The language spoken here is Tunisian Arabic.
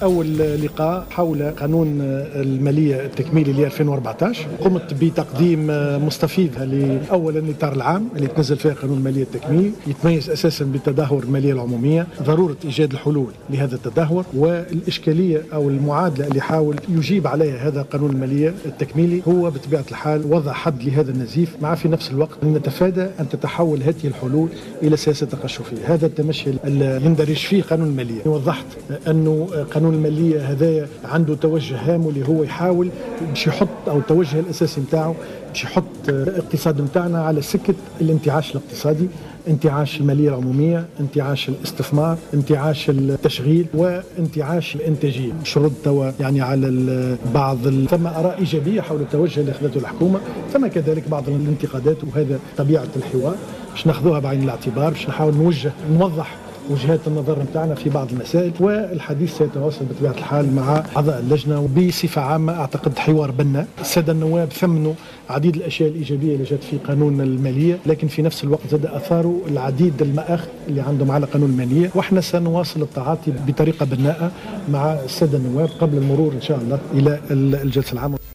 أول لقاء حول قانون المالية التكميلي ل 2014. قمت بتقديم مستفيض لأولا الإطار العام اللي تنزل فيه قانون المالية التكميلي، يتميز أساسا بتدهور المالية العمومية، ضرورة إيجاد الحلول لهذا التدهور، والإشكالية أو المعادلة اللي حاول يجيب عليها هذا قانون المالية التكميلي هو بطبيعة الحال وضع حد لهذا النزيف، مع في نفس الوقت نتفادى أن تتحول هذه الحلول إلى سياسة تقشفية. هذا التمشي اللي يندرج فيه قانون المالية. وضحت أنه قانون المالية هذا عنده توجه هام واللي هو يحاول باش يحط أو التوجه الأساسي نتاعو باش يحط الاقتصاد نتاعنا على سكة الانتعاش الاقتصادي، انتعاش المالية العمومية، انتعاش الاستثمار، انتعاش التشغيل، وانتعاش الإنتاجية. باش نرد توا يعني على بعض ثم آراء إيجابية حول التوجه اللي أخذته الحكومة، ثم كذلك بعض الانتقادات، وهذا طبيعة الحوار باش ناخذوها بعين الاعتبار، باش نحاول نوجه نوضح وجهات النظر نتاعنا في بعض المسائل، والحديث سيتواصل بطبيعة الحال مع أعضاء اللجنة. وبصفة عامة أعتقد حوار بناء. السادة النواب ثمنوا عديد الأشياء الإيجابية اللي جات في قانون المالية، لكن في نفس الوقت زاد أثاروا العديد المآخذ اللي عندهم على قانون المالية، وإحنا سنواصل التعاطي بطريقة بناءة مع السادة النواب قبل المرور إن شاء الله إلى الجلسة العامة.